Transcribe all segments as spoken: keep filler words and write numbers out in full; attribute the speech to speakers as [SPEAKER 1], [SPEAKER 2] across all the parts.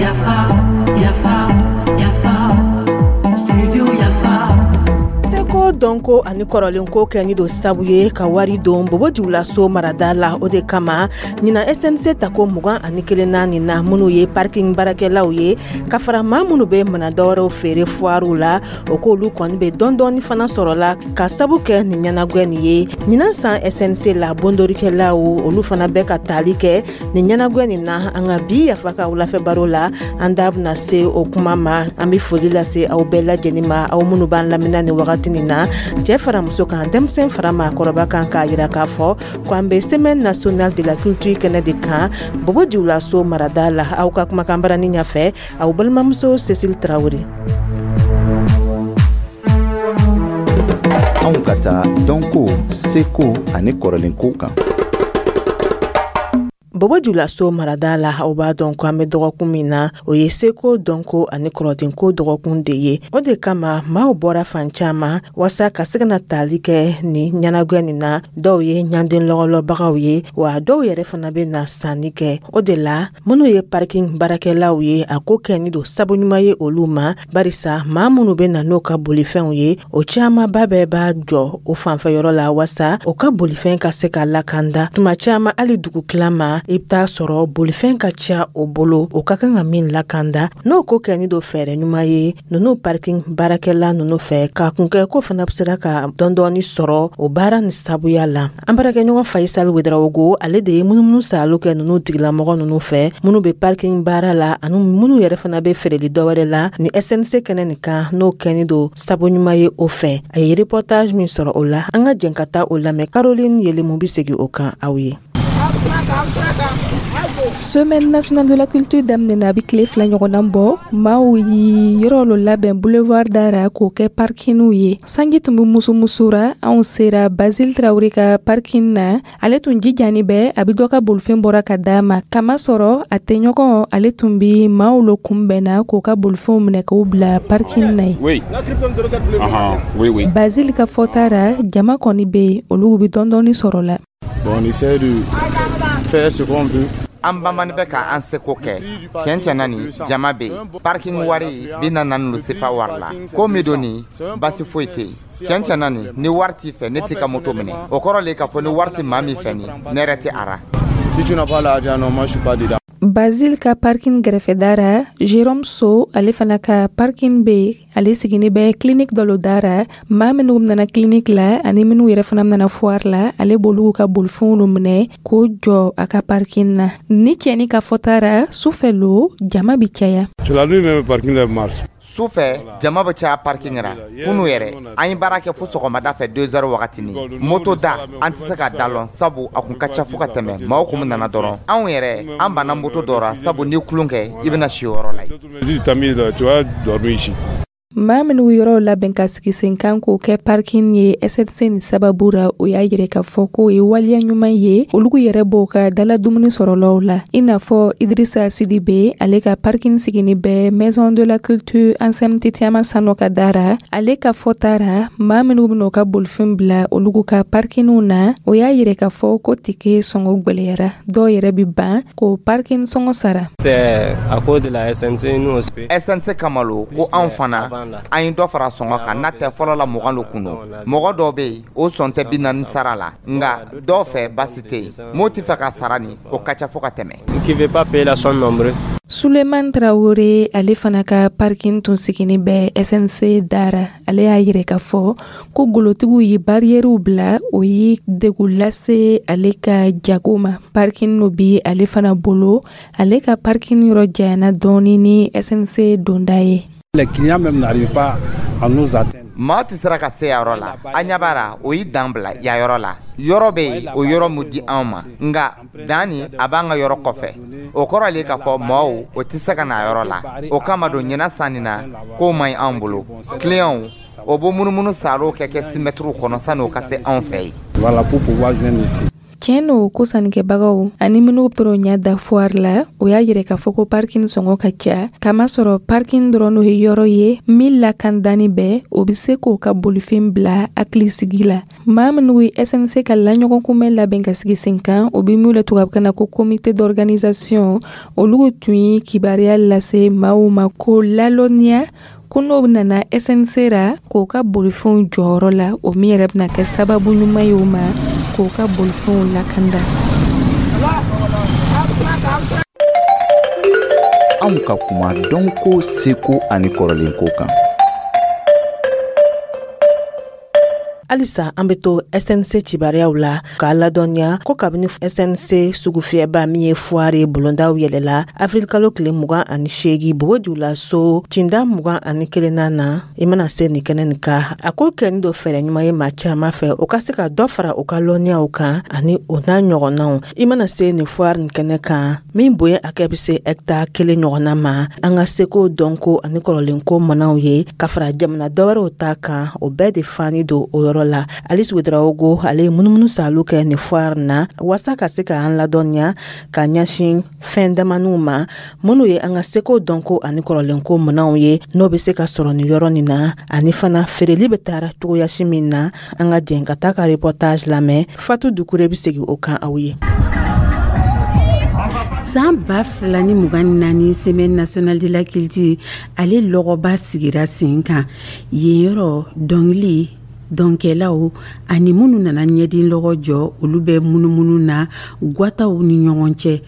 [SPEAKER 1] Yafa, yafa, yafa, studio Yafa.
[SPEAKER 2] Seko, dɔnko ani kɔrɔlenko kɛni don sabu ye ka wari don Bobo Julaso marada la. O de kama ɲina S N C tako mugan ani kelen na nin na, minnu ye parking baarakɛlaw ye ka fara maa minnu bɛ mana dɔwɛrɛw feere fuwaruw la, o k'olu kɔni bɛ dɔɔni fana sɔrɔ la ka sabu kɛ nin ɲɛnagwɛ nin ye. Ɲinan san S N C la, bondorikɛlaw olu fana bɛ ka taali kɛ nin ɲɛnagwɛ nin na. An ka bi Yafa ka wulafɛ baro la, an da bɛna se o kuma ma. An bɛ foli lase aw bɛɛ lajɛlen ma, aw minnu b'an lamina nin wagati nin na, cɛɛ fara muso kan, denmisɛn fara maakɔrɔba kan, k'a yira k'a fɔ ko an bɛ Semaine nationale de la culture kɛnɛ de kan Bobo Julaso marada la. Aw ka kumakan barani ɲɛfɛ, aw balimamuso Cécile Tarawele.
[SPEAKER 3] Anw ka taa dɔnko, seko ani kɔrɔlenkow kan.
[SPEAKER 2] Bobo Julaso marada la, aw b'a dɔn ko an bɛ dɔgɔkun min na, o ye seko, dɔnko ani kɔrɔdenko dɔgɔkun de ye. O de kama maaw bɔra fan caaman waasa ka se ka na taali kɛ ni ɲɛnagwɛ nin na. Dɔw ye ɲanden lɔgɔlɔbagaw ye wa, dɔw yɛrɛ fana bɛ na sanni kɛ. O de la minnu ye parking baarakɛlaw ye, a ko kɛni don sabu ɲuman ye olu ma, barisa maa minnu bɛ na n'o ka bolifɛnw ye, o caamanba bɛɛ b'a jɔ o fanfɛ yɔrɔ la waasa o ka bolifɛn ka se ka lakanda. Tuma caaman, hali dugu tila ma, i bɛ taa sɔrɔ bolifɛn ka ca o bolo, o ka kan ka min lakanda. N'o ko kɛni don fɛɛrɛ ɲuman ye ninnu parking baarakɛla ninnu fɛ, k'a kun kɛ ko fana bɛ sera ka dɔɔni sɔrɔ o baara ni sabuya la. An baarakɛɲɔgɔn Fayisali Wedarawogo, ale de ye munumunu saalo kɛ ninnu tigilamɔgɔ ninnu fɛ, minnu bɛ parking baara la ani minnu yɛrɛ fana bɛ feereli dɔwɛrɛ la ni S N C kɛnɛ nin kan, n'o kɛni don sabu ɲuman ye o fɛ. A ye reportage min sɔrɔ o la, an ka jɛn ka taa o lamɛn. Caroline Yelemu bɛ segin o kan aw ye.
[SPEAKER 4] Semaine nationale de la culture daminɛna, a bɛ tile fila ɲɔgɔnna bɔ. Maaw yi yɔrɔ lo labɛn boulevard dara k'o kɛ parkingw ye. Sanji tun bɛ musumusura. Anw sera Basile Tarawele ka parking na. Ale tun jijani bɛ, a bɛ dɔ ka bolifɛn bɔra ka d'a ma, kamasɔrɔ a tɛɲɔgɔn ale tun bɛ maaw lo kunbɛnna k'o ka bolifɛnw minɛ k'o bila parking na ye.
[SPEAKER 5] Oui. Uh-huh. Oui, oui.
[SPEAKER 4] Basile ka fɔta ra, jama kɔni bɛ yen, olu bɛ dɔɔni sɔrɔ la.
[SPEAKER 5] Bon, on essaie de faire ce qu'on peut.
[SPEAKER 6] An banbani bɛ ka an seko kɛ. Tiɲɛ tiɲɛ na, nin jama bɛ yen. Parking wari bi na naani lo sefa wari la. Ko min don nin, basi foyi tɛ yen. Tiɲɛ tiɲɛ na, nin ni wari t'i fɛ, ne t'i ka moto minɛ. O kɔrɔ le k'a fɔ ni wari tɛ maa min fɛ, nin ne yɛrɛ tɛ a ra.
[SPEAKER 5] Si tu n'as pas l'argent, non, moi je suis pas dedans.
[SPEAKER 4] Basile ka parking gɛrɛfɛda ra, Jérôme So, ale fana ka parking bɛ yen. Ale sigini bɛ clinique dɔ lo da ra. Maa minnu nana clinique la ani minnu yɛrɛ fana nana foire la, ale b'olu ka bolifɛnw lo minɛ k'o jɔ a ka parking na. Ni cɛni ka fɔta ra, sufɛ lo jama bi caya.
[SPEAKER 5] C'est la nuit même, parking là marche.
[SPEAKER 6] Su fɛ, jama bɛ caya parking ra. Kunu yɛrɛ, an ye baara kɛ fo sɔgɔmada fɛ deux heures wagati. Ni moto da, an tɛ se ka da lɔn, sabu a kun ka ca fo ka tɛmɛ. Maaw kun nana dɔrɔn, anw yɛrɛ an banna moto dɔ ra, sabu ni kulon kɛ, i bɛna si o yɔrɔ la yen.
[SPEAKER 5] Si tu mis là, tu vas dormir ici.
[SPEAKER 4] Maa minnu yɔrɔw labɛn ka sigi sen kan k'o kɛ parking ye S N C ni sababu ra, o y'a yɛrɛ k'a fɔ k'o ye waleya ɲuman ye. Olu yɛrɛ b'o ka dala dumuni sɔrɔlaw la, i n'a fɔ Idrissa Sidibe, ale ka parking sigini bɛ Maison de la culture Anselme Titiama Sanɔ ka dara. Ale ka fɔta ra, maa minnu ben'o ka bolifɛn bila olu ka parkingw na, o y'a yɛrɛ k'a fɔ ko tike sɔngɔ gwɛlɛyara, dɔw yɛrɛ bi ban k'o parking sɔngɔ sara.
[SPEAKER 7] C'est à cause de la S N C, nous on se fait.
[SPEAKER 6] S N C kama lo ko anw fana an ye dɔ fara sɔngɔ kan. N'a tɛ, fɔlɔ la mugan lo kun don. Mɔgɔ dɔw bɛ yen, o sɔn tɛ bi naani sara la, nka dɔw fɛ basi tɛ yen. M'o tɛ fɛ ka sara nin, o ka ca fo ka tɛmɛ.
[SPEAKER 7] Qui veut pas payer la sont nombreux.
[SPEAKER 4] Suleiman Traore, ale fana ka parking tun sigini bɛ S N C dara. Ale y'a yɛrɛ k'a fɔ ko golotigiw ye bariyɛriw bila, o ye degun lase ale ka jago ma. Parking no bi ale fana bolo, ale ka parking yɔrɔ janyana dɔɔni ni S N C donda ye.
[SPEAKER 8] Les clients même n'arrivent pas à nous atteindre.
[SPEAKER 6] Maa tɛ sera ka se yan yɔrɔ la. An ɲɛ b'a la, o y'i dan bila yan yɔrɔ la. Yɔrɔ bɛ yen, o yɔrɔ mun di anw ma, nka dan nin a b'an ka yɔrɔ kɔfɛ. O kɔrɔ le k'a fɔ maaw o tɛ se ka na yɔrɔ la. O kama don ɲinan san nin na, k'o man ɲi anw bolo. Clients o b'o munumunu saalo kɛ kɛ simɛtiriw kɔnɔ sanni o ka se anw fɛ yen.
[SPEAKER 8] Voilà, pour pouvoir joindre ici.
[SPEAKER 4] Tiɲɛ no ko sannikɛbagaw ani minnu tɔrɔ ɲa da foire la, o y'a yɛrɛ k'a fɔ ko parking sɔngɔ ka ca, kamasɔrɔ parking dɔrɔn n'o ye yɔrɔ ye min lakandani bɛɛ o be se k'o ka bolifɛn bila hakilisigi la. Maa minnu ye S N C ka laɲɔgɔnkunbɛn labɛn ka sigi sen kan, o be min le tubabukan na ko comité d'organisation, olu tun ye kibaruya lase maaw ma ko lalɔnniya ko n'o nana S N C ra k'o ka bolifɛnw jɔyɔrɔ la, o min yɛrɛ bɛna kɛ sababu ɲuman ye o ma k'o ka bolifɛnw lakanda.
[SPEAKER 3] Anw ka kuma dɔnko, seko ani kɔrɔlenko kan.
[SPEAKER 2] Halisa an be to S N C cibariyaw la k'a ladɔnniya ko kabini S N C sugufiyɛba min ye foire bolondaw yɛlɛla afirilikalo tile mugan ani seegi Bobo Julaso cinda mugan ani kelenna na, i mana se nin kɛnɛ nin ka a ko kɛni dɔ fɛɛrɛ ɲuman ye maa caaman fɛ, o ka se ka dɔ fara u ka lɔnniyaw kan ani o n'a ɲɔgɔnnaw. I mana se nin foire nin kɛnɛ kan min bonya hakɛ be se hɛkitari kelen ɲɔgɔnna ma, an ka seko, dɔnko ani kɔrɔlenko manaw ye ka fara jamana dɔwɛrɛw ta kan, o bɛɛ de fani don o yɔrɔ la. Alice Ouedraogo, ale ye munumunu salu kɛ nin foire na waasa ka se k'an ladɔnniya ka ɲɛsin fɛn damaninw ma minnu ye an ka seko, dɔnko ani kɔrɔlenko minɛnw ye, n'o bɛ se ka sɔrɔ nin yɔrɔ nin na, ani fana feereli bɛ taara cogoyasi min na. An ka jɛn ka taa ka reportage lamɛn. Fatu Dukure bɛ segin o kan aw ye.
[SPEAKER 9] San ba fila ni mugan ni naani, Semaine nationale de la culture, ale lɔgɔba sigira sen kan yen. Yɔrɔ dɔnkili dɔnkɛlaw ani minnu nana ɲɛdin lɔgɔ jɔ, olu bɛ munumunu na gwataw ni ɲɔgɔn cɛ.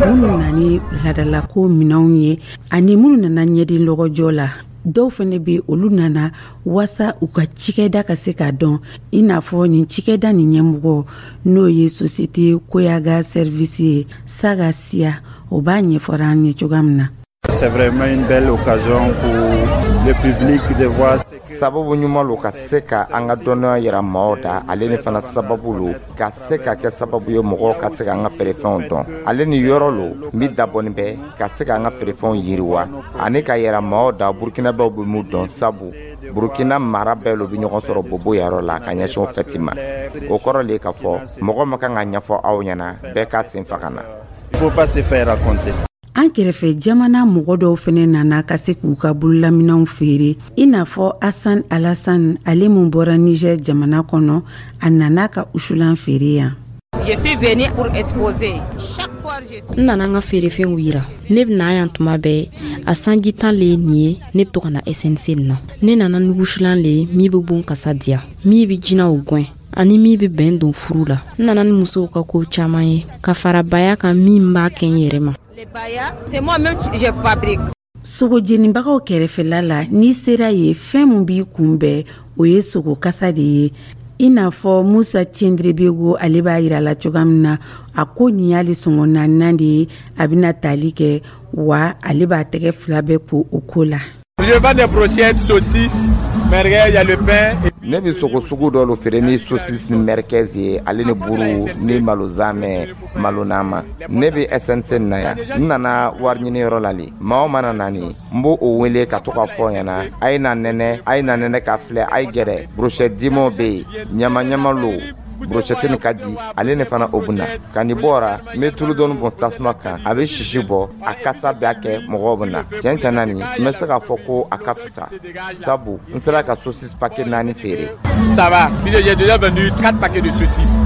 [SPEAKER 9] Minnu nani ladalako minɛnw ye ani minnu nana ɲɛdin lɔgɔjɔ la, dɔw fɛnɛ be olu nana waasa u ka cikɛda ka se k'a dɔn, i n'a fɔ nin cikɛda nin ɲɛmɔgɔ, n'o ye société Koyaga Service ye, Saga Siya, o b'a ɲɛfɔra an ye cogoya min na.
[SPEAKER 10] C'est vraiment une belle occasion pour le public de voir.
[SPEAKER 6] Sababu ɲuman lo ka se ka an ka dɔnniya yira maaw da. Ale ni fana sababu lo ka se ka kɛ sababu ye mɔgɔw ka se ka an ka feerefɛnw dɔn. Ale ni yɔrɔ lo min dabɔnin bɛ ka se ka an ka feerefɛnw yiriwa ani ka yɛrɛ maaw da Burukinabaw bɛ mun dɔn, sabu Burukina mara bɛɛ lo bɛ ɲɔgɔn sɔrɔ Bobo yɔrɔ la ka ɲɛsin fɛti ma. O kɔrɔ le k'a fɔ mɔgɔ ma kan ka ɲɛfɔ aw ɲɛna, bɛɛ k'a sen faga na.
[SPEAKER 10] Il faut pas se faire raconter.
[SPEAKER 9] An kɛrɛfɛ jamana mɔgɔ dɔw fɛnɛ nana ka se k'u ka bololaminɛw feere, i n'a fɔ Asan Alasan, ale mun bɔra Niger jamana kɔnɔ, a nana ka usulan feere yan.
[SPEAKER 11] N nana n ka feerefɛnw yira. Ne bɛna yan tuma bɛɛ, a sanji tan le ye nin ye. Ne bɛ to ka na S N C nin na. Ne nana ni wusulan le ye min bɛ bon kasa diya, min bɛ jinɛw gwɛn ani min bɛ bɛn don furu la. N nana ni musow ka ko caman ye ka fara baya kan min b'a kɛ n yɛrɛ ma.
[SPEAKER 9] Sogo jenibagaw kɛrɛfɛla la, n'i sera ye, fɛn min b'i kunbɛn, o ye sogo kasa de ye, i n'a fɔ Musa Cɛndrebego, ale b'a yira la cogoya min na. A ko nin y'ale sɔngɔ naaninan de ye a bɛna tali kɛ wa, ale b'a tɛgɛ fila bɛɛ ko o ko la.
[SPEAKER 12] Je vends des brochettes, saucisses, merguez, il y a le pain.
[SPEAKER 6] Ne bɛ sogo sugu dɔ lo feere ni saucisse ni merguez ye, ale ni buru ni malo zamɛ, malo nama. Ne bɛ S N C na yan, n nana wari ɲini yɔrɔ la le. Maa o mana na nin, n b'o o wele ka to ka fɔ ɲɛna: a ye na nɛnɛ, a ye na nɛnɛ ka filɛ, a ye gɛrɛ. Brochette dimɔw bɛ yen, ɲama ɲama lo, brochette nin ka di ale ne fana. O bɛ na ka nin bɔra, n bɛ tulu dɔɔni bɔn tasuma kan, a bɛ sisi bɔ, a kasa b'a kɛ mɔgɔw bɛ na. Tiɲɛ tiɲɛ na, nin n bɛ se k'a fɔ ko a ka fisa, sabu n sera ka saucisse paquet naani feere.
[SPEAKER 12] Ça va, j'ai déjà vendu quatre paquets de saucisses.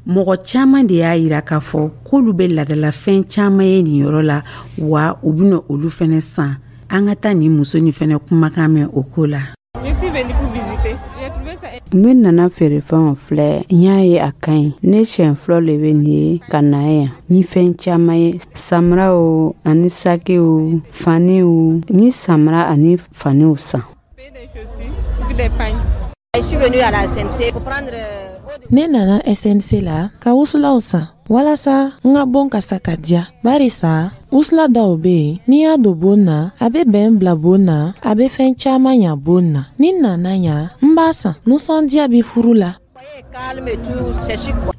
[SPEAKER 9] Mɔgɔ caman de y'a yira k'a fɔ k'olu bɛ ladalafɛn caman ye nin yɔrɔ la wa, u bɛna olu fɛnɛ san. An ka taa nin muso nin fɛnɛ kumakan mɛn o ko la.
[SPEAKER 13] Ne nana feerefɛnw filɛ, n y'a ye a ka ɲi. Ne siɲɛ fɔlɔ le bɛ nin ye ka na yan ni fɛn caman ye, samaraw ani sakiw, faniw. Ni samara ani faniw san.
[SPEAKER 14] Ne nana S N C la ka wusulaw san walasa n ka bon kasa ka diya, barisa wusula dɔw be yen, n'i y'a don bon na, a be bɛn bila bon na, a be fɛn caaman ɲa bon na. Ni n nana yan, n b'a san. Nusɔndiya be furu la.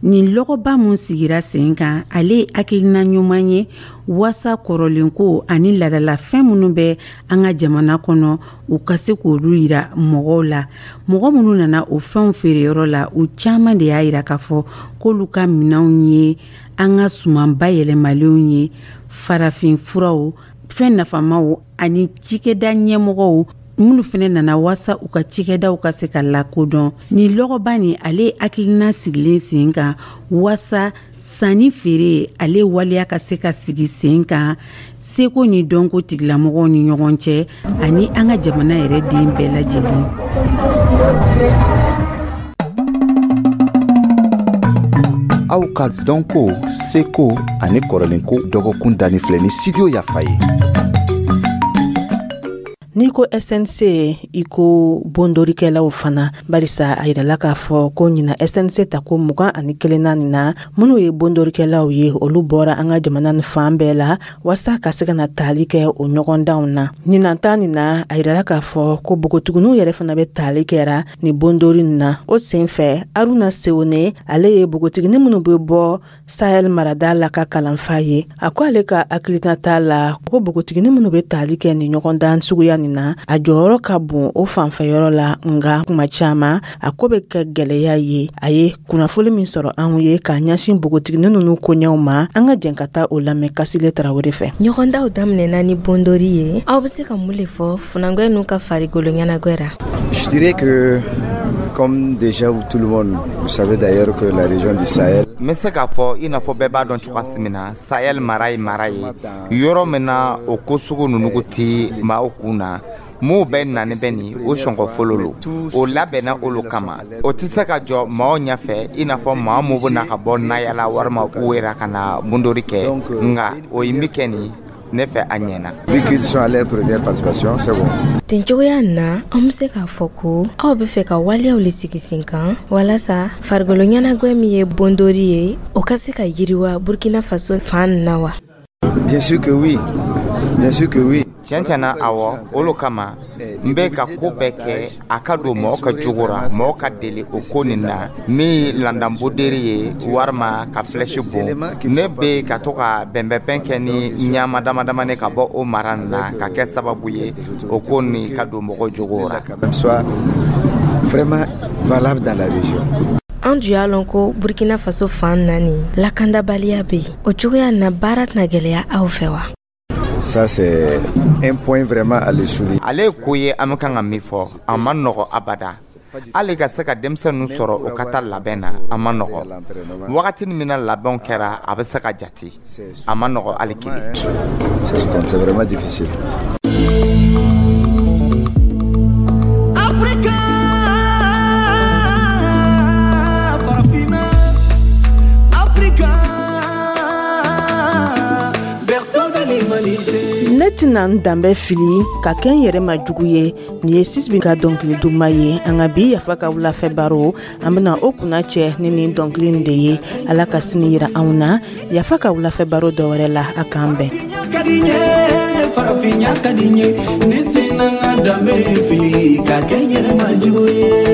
[SPEAKER 9] Nin lɔgɔba mun sigira sen kan, ale ye hakilina ɲuman ye waasa kɔrɔlenko ani ladalafɛn minnu bɛ an ka jamana kɔnɔ, u ka se k'olu yira mɔgɔw la. Mɔgɔ minnu nana o fɛnw feereyɔrɔ la, u caman de y'a yira k'a fɔ k'olu ka minɛnw ye an ka suman bayɛlɛmalenw ye, farafin furaw, fɛn nafamaw, ani cikɛda ɲɛmɔgɔw minnu fɛnɛ nana waasa u ka cikɛdaw ka se ka lakodɔn. Nin lɔgɔba nin, ale ye hakilina sigilen sen kan waasa sanni feere ale waleya ka se ka sigi sen kan seko ni dɔnko tigilamɔgɔw ni ɲɔgɔn cɛ, ani an ka jamana yɛrɛ den bɛɛ lajɛlen.
[SPEAKER 3] Aw ka dɔnko, seko ani kɔrɔlenko dɔgɔkun danni filɛ ni Studio Yafa ye.
[SPEAKER 2] N'i ko S N C, i ko bondorikɛlaw fana, barisa a yirala k'a fɔ ko ɲina S N C ta ko mugan ani kelenna nin na, minnu ye bondorikɛlaw ye, olu bɔra an ka jamana ni fan bɛɛ la waasa ka se ka na taali kɛ o ɲɔgɔndanw na. Ɲinan ta nin na, a yirala k'a fɔ ko npogotigininw yɛrɛ fana bɛ taali kɛra ni bondori nin na. O sen fɛ, Aruna Sewone, ale ye npogotiginin minnu bɛ bɔ Sahel marada la ka kalanfa ye, a ko ale ka hakilina t'a la ko npogotiginin minnu bɛ taali kɛ nin ɲɔgɔndan suguya nin na, a jɔyɔrɔ ka bon o fanfɛyɔrɔ la, nga kuma caman a ko bɛ kɛ gwɛlɛya ye. A ye kunnafoli min sɔrɔ anw ye k'a ɲɛsin npogotiginin ninnu koɲɛw ma, an ka jɛn ka taa o lamɛn Kasile Tarawele fɛ.
[SPEAKER 15] Ɲɔgɔndaw daminɛna ni bondori ye. Aw bɛ se ka mun le fɔ funangwɛ n'u ka farikolo ɲɛnagwɛ ra?
[SPEAKER 10] Je dirais que, comme déjà tout le monde, vous savez d'ailleurs que la région du Sahel
[SPEAKER 6] N bɛ se k'a fɔ, i n'a fɔ bɛɛ b'a dɔn cogoya min na, Sahel mara ye mara ye yɔrɔ min na, o ko sugu ninnu ti maaw kun na. M'o bɛɛ nani bɛ nin o sɔngɔ fɔlɔ lo, o labɛnna olu kama. O tɛ se ka jɔ maaw ɲɛfɛ, i n'a fɔ maa mun bɛ na ka bɔ Nayala walima Uwera ka na bondori kɛ. Nka o ye min kɛ nin ne fɛ, a ɲɛna.
[SPEAKER 10] Vu qu'ils sont à leur première participation, c'est bon.
[SPEAKER 15] Ten cogoya na, an be se k'a fɔ ko aw be fɛ ka waleyaw le sigi sen kan walasa farikolo ɲɛnagwɛ min ye bondori ye, o ka se ka yiriwa Burkina Faso fan na wa?
[SPEAKER 10] Bien sûr que oui. Bien sûr que oui.
[SPEAKER 6] Tiɲɛ tiɲɛna, awɔ. Olu kama n bɛ ka ko bɛɛ kɛ a ka don mɔgɔ ka jogo ra, mɔgɔ ka deli o ko nin na, min ye landanboderi ye walima ka flèche bon. Ne bɛ ka to ka bɛnbɛnbɛn kɛ ni ɲama dama damani ka bɔ o mara nin na, ka kɛ sababu ye o ko nin ka don mɔgɔ jogo ra.
[SPEAKER 10] Soit vraiment valable dans la région.
[SPEAKER 15] An dun y'a lɔn ko Burkina Faso fan na nin, lakandabaliya be yen. O cogoya na, baara tɛna gwɛlɛya aw fɛ wa?
[SPEAKER 10] Ça, c'est un point vraiment à le souligner.
[SPEAKER 6] Ale ye ko ye an bɛ kan ka min fɔ, a ma nɔgɔ abada. Hali ka se ka denmisɛnninw sɔrɔ o ka taa labɛn na, a ma nɔgɔ. Wagati min na labɛnw kɛra, a bɛ se ka jate, a ma nɔgɔ hali kelen.
[SPEAKER 10] C'est vraiment difficile.
[SPEAKER 1] Africa, Farafina, Africa, berceau de l'humanité.
[SPEAKER 2] Ne tɛna n danbɛ fili ka kɛ n yɛrɛ ma jugu ye. Nin ye Sisbi ka dɔnkili duman ye. An ka bi Yafa ka wulafɛ baro, an bena o kunna cɛ ni nin dɔnkili nin de ye. Ala ka sini yira anw na Yafa ka wulafɛ baro dɔ wɛrɛ la. A k'an bɛn.
[SPEAKER 1] Ka di n ye, farafinya ka di n ye. Ne tɛna n ka danbe fili ka kɛ n yɛrɛ ma jugu ye.